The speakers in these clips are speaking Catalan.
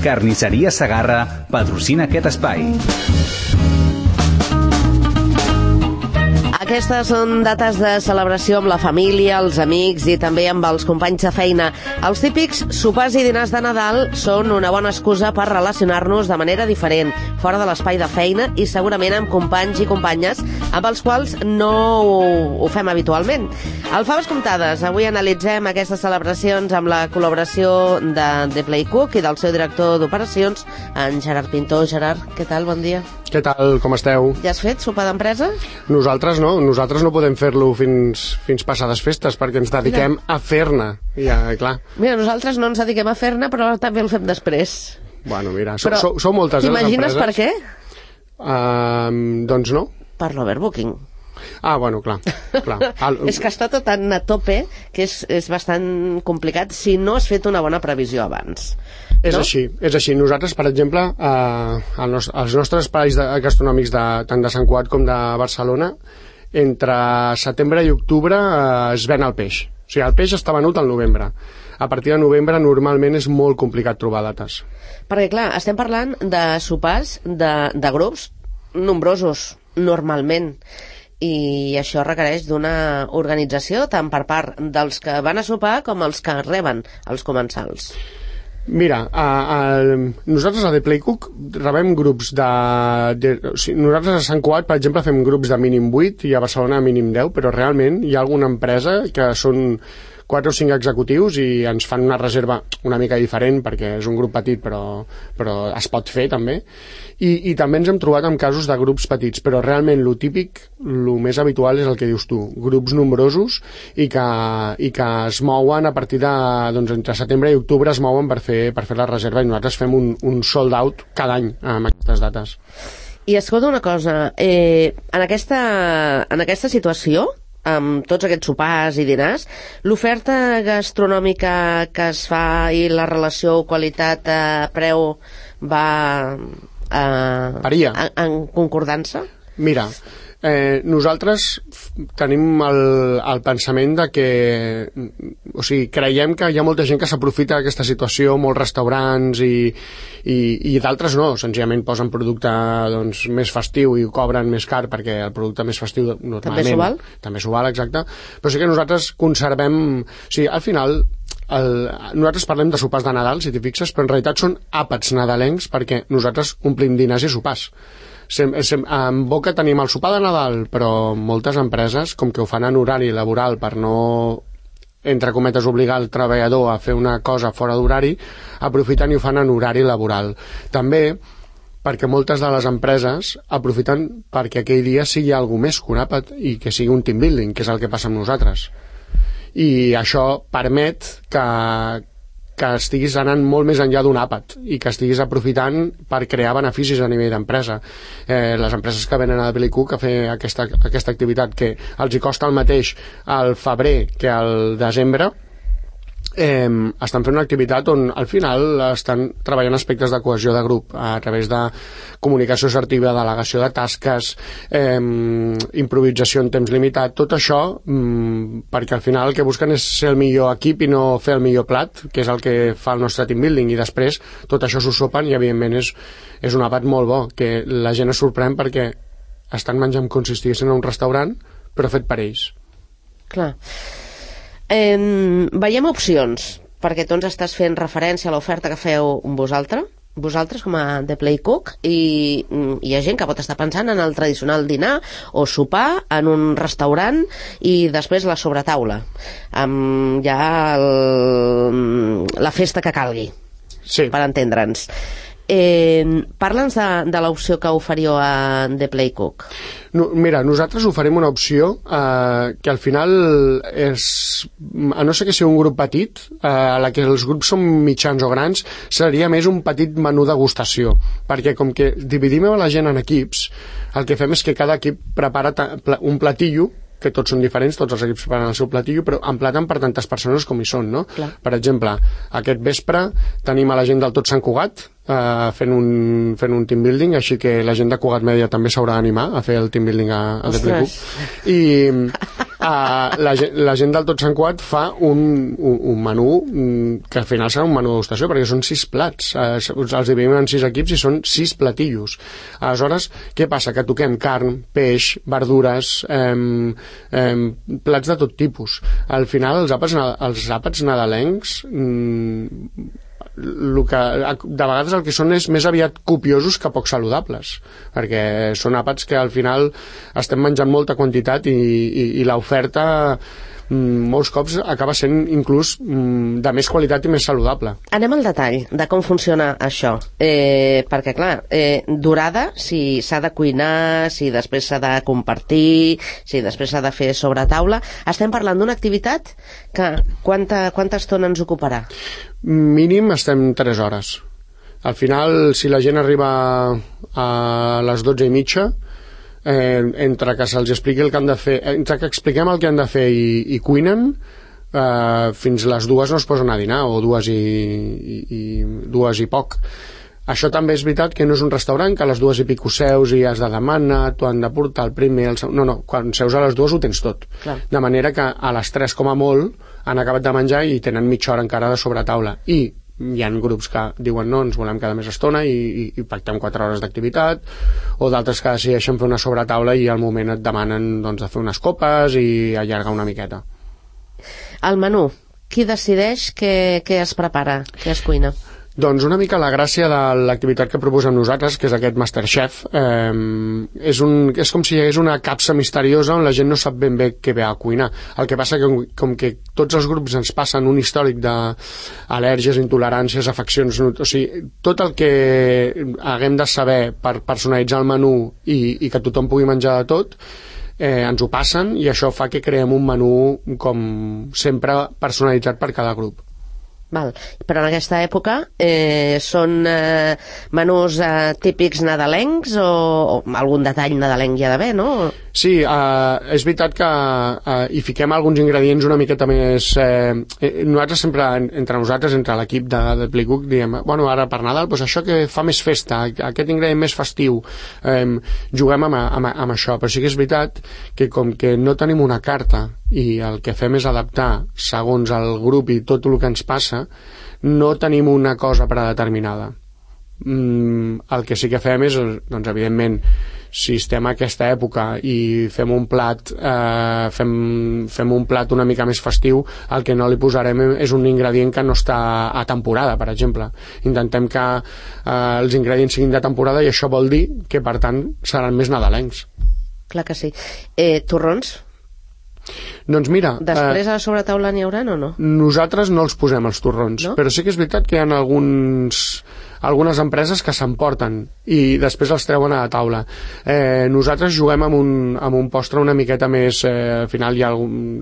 Carnisseria Segarra patrocina aquest espai. Aquestes són dates de celebració amb la família, els amics i també amb els companys de feina. Els típics sopars i dinars de Nadal són una bona excusa per relacionar-nos de manera diferent, fora de l'espai de feina i segurament amb companys i companyes amb els quals no ho fem habitualment. Al Faves Comptades, avui analitzem aquestes celebracions amb la col·laboració de The Play Cook i del seu director d'operacions, en Gerard Pintor. Gerard, què tal? Bon dia. Què tal? Com esteu? Ja has fet sopar d'empresa? Nosaltres no podem fer-lo fins passades festes perquè ens dediquem a fer-ne. Ja, clar. Mira, nosaltres no ens dediquem a fer-ne, però també el fem després. Bueno, mira, sou moltes, les empreses. T'imagines per què? Doncs no. Per l'overbooking. Ah, bueno, clar. És que està tot tan a tope que és bastant complicat si no has fet una bona previsió abans. És així. Nosaltres, per exemple, als nostres espais gastronòmics tant de Sant Cugat com de Barcelona, entre setembre i octubre es ven el peix. O sigui, el peix està venut al novembre. A partir de novembre normalment és molt complicat trobar dates. Perquè, clar, estem parlant de sopars de grups nombrosos, normalment. I això requereix d'una organització tant per part dels que van a sopar com els que reben els comensals. Mira, nosaltres a The Play Cook rebem grups nosaltres a Sant Cugat, per exemple, fem grups de mínim 8 i a Barcelona mínim 10, però realment hi ha alguna empresa que són 4 o 5 executius i ens fan una reserva una mica diferent perquè és un grup petit però es pot fer també i també ens hem trobat amb casos de grups petits, però realment lo típic, lo més habitual és el que dius tu, grups nombrosos i que es mouen a partir de, doncs entre setembre i octubre es mouen per fer la reserva i nosaltres fem un sold out cada any amb aquestes dates. I escolta una cosa, en aquesta situació amb tots aquests sopars i dinars, l'oferta gastronòmica que es fa i la relació qualitat-preu va en concordança? Mira, nosaltres tenim el pensament de que, o sigui, creiem que hi ha molta gent que s'aprofita d'aquesta situació, molts restaurants i d'altres no, senzillament posen producte doncs, més festiu i ho cobren més car perquè el producte més festiu normalment també s'ho val, exacte, però sí que nosaltres conservem, o sigui, al final nosaltres parlem de sopars de Nadal, si t'hi fixes, però en realitat són àpats nadalencs perquè nosaltres omplim dinars i sopars. En Boca tenim el sopar de Nadal, però moltes empreses, com que ho fan en horari laboral per no, entre cometes, obligar el treballador a fer una cosa fora d'horari, aprofiten i ho fan en horari laboral. També perquè moltes de les empreses aprofiten perquè aquell dia sigui alguna més que un àpat i que sigui un team building, que és el que passa amb nosaltres. I això permet que estiguis anant molt més enllà d'un àpat i que estiguis aprofitant per crear beneficis a nivell d'empresa. Les empreses que venen a The Play Cook a fer aquesta activitat que els hi costa el mateix al febrer que al desembre, estan fent una activitat on al final estan treballant aspectes de cohesió de grup a través de comunicació assertiva, delegació de tasques, improvisació en temps limitat, tot això perquè al final el que busquen és ser el millor equip i no fer el millor plat, que és el que fa el nostre team building, i després tot això s'ho sopen i evidentment és un àpat molt bo, que la gent es sorprèn perquè estan menjant com si estiguessin a un restaurant però fet per ells. Clar. Veiem opcions, perquè tu ens estàs fent referència a l'oferta que feu vosaltres com a The Play Cook, i hi ha gent que pot estar pensant en el tradicional dinar o sopar en un restaurant i després la sobretaula amb ja la festa que calgui, sí, per entendre'ns. Parla'ns de l'opció que oferíeu a The Play Cook. Mira, nosaltres oferim una opció que al final és, a no ser que sigui un grup petit, a la que els grups són mitjans o grans, seria més un petit menú degustació, perquè com que dividim la gent en equips, el que fem és que cada equip prepara un platillo, que tots són diferents, tots els equips preparen el seu platillo, però emplaten per tantes persones com hi són, no? Clar. Per exemple, aquest vespre tenim a la gent del Tot Sant Cugat fent un team building, així que la gent de Cugat Mèdia també s'haurà d'animar a fer el team building a The Play Cook. la gent del Tot Sant Quat fa un menú que al final serà un menú degustació, perquè són 6 plats. Els dividim en 6 equips i són 6 platillos. Aleshores, què passa? Que toquem carn, peix, verdures, plats de tot tipus. Al final, els àpats nadalencs de vegades el que són és més aviat copiosos que poc saludables, perquè són àpats que al final estem menjant molta quantitat i l'oferta molts cops acaba sent inclús de més qualitat i més saludable. Anem al detall de com funciona això, perquè clar, dorada, si s'ha de cuinar, si després s'ha de compartir, si després s'ha de fer sobre taula, estem parlant d'una activitat que quanta estona ens ocuparà? Mínim estem 3 hores. Al final, si la gent arriba a les 12:30, entre que se'ls expliqui el que han de fer, entre que expliquem el que han de fer i cuinen, fins les 2 no es posen a dinar, o 2 i poc. Això també és veritat que no és un restaurant que a les 2 i pico seus i has de demanar, t'ho han de portar el primer, no, quan seus a les 2 ho tens tot. Clar. De manera que a les 3 com a molt han acabat de menjar i tenen mitja hora encara de sobretaula. I hi ha grups que diuen no, ens volem quedar més estona i pactem 4 hores d'activitat, o d'altres que decideixen fer una sobretaula i al moment et demanen doncs, de fer unes copes i allargar una miqueta. El menú, qui decideix què es prepara, què es cuina? Doncs una mica la gràcia de l'activitat que proposem nosaltres, que és aquest Masterchef, és com si hi hagués una capsa misteriosa on la gent no sap ben bé què ve a cuinar. El que passa que com que tots els grups ens passen un històric d'al·lèrgies, intoleràncies, afeccions, o sigui, tot el que haguem de saber per personalitzar el menú i que tothom pugui menjar de tot, ens ho passen i això fa que creem un menú com sempre personalitzat per cada grup. Val. Però en aquesta època són menús típics nadalencs o algun detall nadalenc hi ha d'haver, no? Sí, és veritat que hi fiquem alguns ingredients una miqueta més... nosaltres sempre, entre nosaltres, entre l'equip de Playcook, diem, bueno, ara per Nadal, doncs això que fa més festa, aquest ingredient més festiu, juguem amb això, però sí que és veritat que com que no tenim una carta i el que fem és adaptar segons el grup i tot el que ens passa, no tenim una cosa predeterminada. El que sí que fem és, doncs, evidentment, si estem a aquesta època i fem un plat fem un plat una mica més festiu, el que no li posarem és un ingredient que no està a temporada, per exemple. Intentem que els ingredients siguin de temporada i això vol dir que, per tant, seran més nadalencs. Clar que sí. Torrons? Doncs mira... Després a la sobretaula n'hi haurà o no? Nosaltres no els posem, els torrons, no? Però sí que és veritat que hi ha algunes empreses que s'emporten i després els treuen a la taula. Nosaltres juguem amb un postre una miqueta més... al final hi ha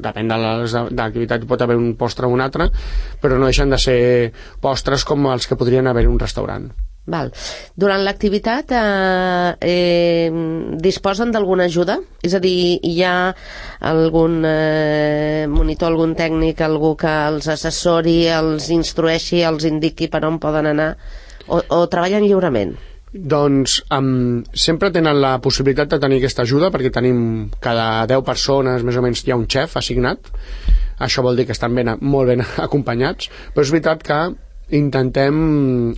depèn de l'activitat, pot haver un postre o un altre, però no deixen de ser postres com els que podrien haver en un restaurant. Val. Durant l'activitat disposen d'alguna ajuda? És a dir, hi ha algun monitor, algun tècnic, algú que els assessori, els instrueixi, els indiqui per on poden anar, o treballen lliurement? Doncs sempre tenen la possibilitat de tenir aquesta ajuda, perquè tenim cada 10 persones més o menys hi ha un xef assignat. Això vol dir que estan molt ben acompanyats, però és veritat que intentem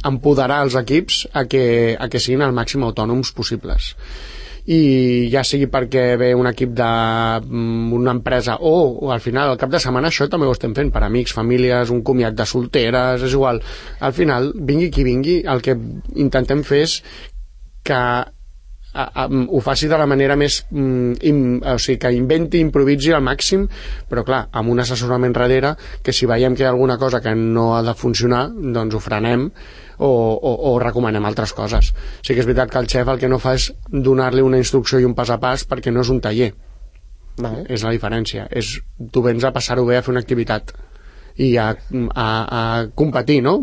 empoderar els equips a que siguin el màxim autònoms possibles, i ja sigui perquè ve un equip d'una empresa o al final al cap de setmana això també ho estem fent per amics, famílies, un comiat de solteres, és igual, al final vingui qui vingui, el que intentem fer és que ho faci de la manera més o sigui, que inventi, improviси al màxim, però clar, amb un assessorament darrere, que si veiem que hi ha alguna cosa que no ha de funcionar, doncs ho frenem o recomanem altres coses. Sí que és veritat que el xef el que no fa és donar-li una instrucció i un pas a pas, perquè no és un taller. És la diferència, tu vens a passar-ho bé, a fer una activitat, i a competir, no?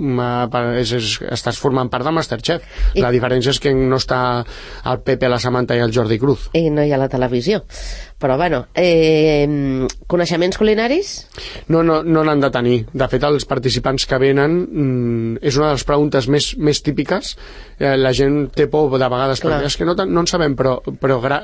Estàs formant part de Masterchef. La diferència és que no està el Pepe, la Samantha i el Jordi Cruz. I no hi ha la televisió. Però, bueno, coneixements culinaris? No n'han de tenir. De fet, els participants que venen és una de les preguntes més típiques. La gent té por de vegades, perquè és que no en sabem, però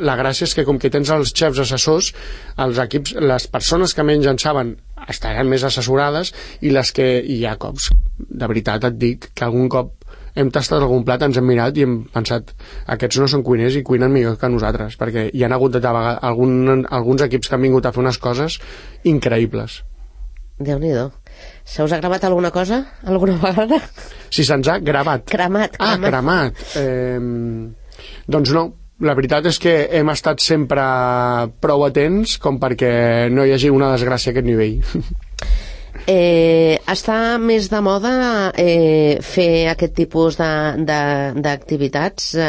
la gràcia és que com que tens els xefs assessors, els equips, les persones que menys en saben estaran més assessorades, i les que hi ha cops, de veritat et dic, que algun cop hem tastat algun plat, ens hem mirat i hem pensat, aquests no són cuiners i cuinen millor que nosaltres, perquè hi ha hagut alguns equips que han vingut a fer unes coses increïbles. Déu-n'hi-do. Se us ha gravat alguna cosa alguna vegada? Si se'ns ha gravat. Cremat. Doncs no. La veritat és que hem estat sempre prou atents com perquè no hi hagi una desgràcia a aquest nivell. Està més de moda fer aquest tipus d'activitats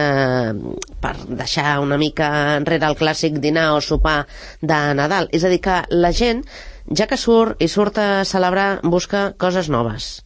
per deixar una mica enrere el clàssic dinar o sopar de Nadal. És a dir, que la gent, ja que surt a celebrar, busca coses noves.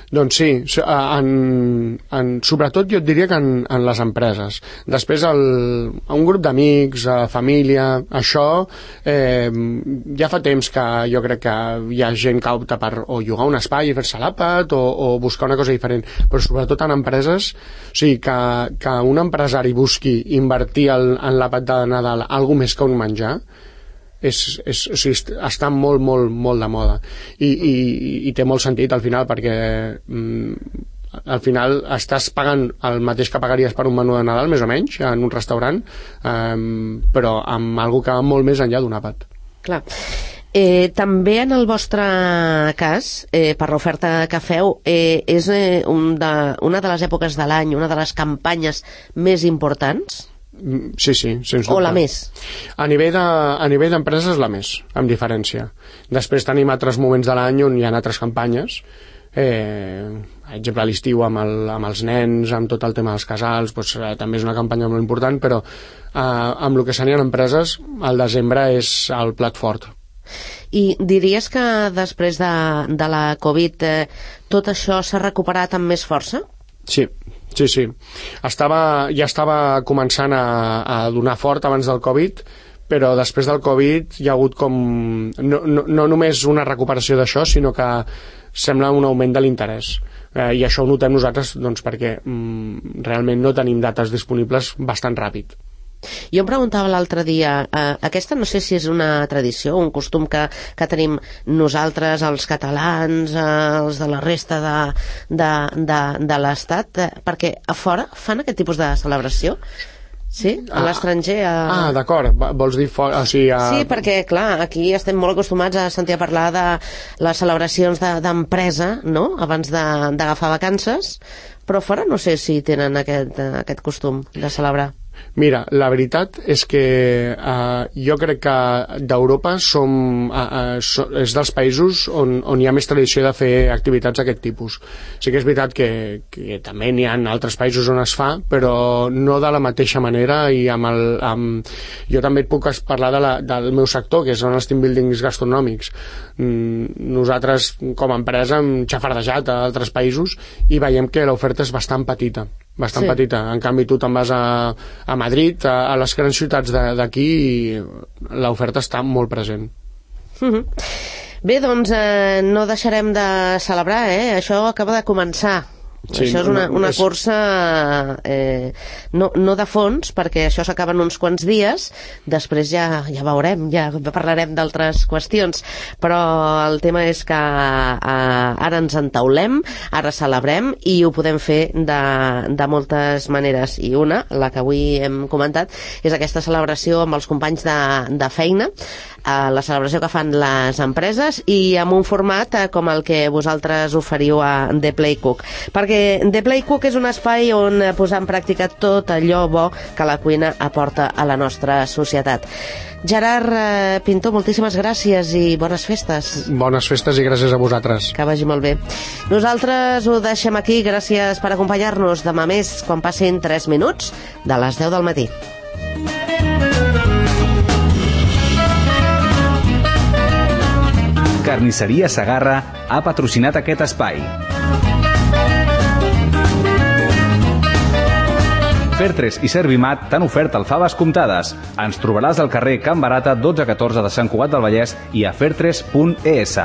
Doncs sí, sobretot jo et diria que en les empreses. Després un grup d'amics, família, això ja fa temps que jo crec que hi ha gent que opta per o llogar un espai i fer-se l'àpat o buscar una cosa diferent, però sobretot en empreses, o sigui, que un empresari busqui invertir en l'àpat de Nadal alguna més que un menjar, o sigui, està molt de moda i té molt sentit al final, perquè al final estàs pagant el mateix que pagaries per un menú de Nadal, més o menys, en un restaurant, però amb algo que va molt més enllà d'un àpat. Clar. També en el vostre cas, per l'oferta que feu, és una de les èpoques de l'any, una de les campanyes més importants? Sí, sens dubte. O la més? A nivell d'empreses, la més, amb diferència. Després tenim altres moments de l'any on hi ha altres campanyes, per exemple a l'estiu amb els nens, amb tot el tema dels casals, doncs, també és una campanya molt important, però amb el que serien empreses, el desembre és el plat fort. I diries que després de la Covid tot això s'ha recuperat amb més força? Sí. Ja estava començant a donar fort abans del Covid, però després del Covid hi ha hagut com no només una recuperació d'això, sinó que sembla un augment de l'interès, i això ho notem nosaltres, doncs, perquè realment no tenim dates disponibles bastant ràpid. Jo em preguntava l'altre dia, aquesta no sé si és una tradició, un costum que tenim nosaltres, els catalans, els de la resta de l'Estat, perquè a fora fan aquest tipus de celebració? Sí? A l'estranger? D'acord, vols dir fora? Sí, perquè, clar, aquí estem molt acostumats a sentir a parlar de les celebracions d'empresa, no?, abans d'agafar vacances, però fora no sé si tenen aquest costum de celebrar. Mira, la veritat és que jo crec que d'Europa és dels països on hi ha més tradició de fer activitats d'aquest tipus. Sí que és veritat que també n'hi ha altres països on es fa, però no de la mateixa manera, i jo també et puc parlar del meu sector, que són els team buildings gastronòmics. Nosaltres, com a empresa, hem xafardejat a altres països i veiem que l'oferta és bastant petita. Petita. En canvi, tu te'n vas a Madrid, a les grans ciutats d'aquí, i l'oferta està molt present. Bé, doncs no deixarem de celebrar, això acaba de començar. Sí, això és una cursa no de fons, perquè això s'acaba en uns quants dies, després ja veurem, ja parlarem d'altres qüestions, però el tema és que ara ens entaulem, ara celebrem, i ho podem fer de moltes maneres, i una, la que avui hem comentat, és aquesta celebració amb els companys de feina, la celebració que fan les empreses, i amb un format com el que vosaltres oferiu a The Play Cook, perquè The Play Cook és un espai on posar en pràctica tot allò bo que la cuina aporta a la nostra societat. Gerard Pintor, moltíssimes gràcies i bones festes. Bones festes i gràcies a vosaltres. Que vagi molt bé. Nosaltres ho deixem aquí, gràcies per acompanyar-nos. Demà més, quan passin 3 minuts de les 10 del matí. Carnisseria Segarra ha patrocinat aquest espai. Fertres i Servimat t'han ofert alfaves comptades. Ens trobaràs al carrer Can Barata 1214 de Sant Cugat del Vallès i a fertres.es.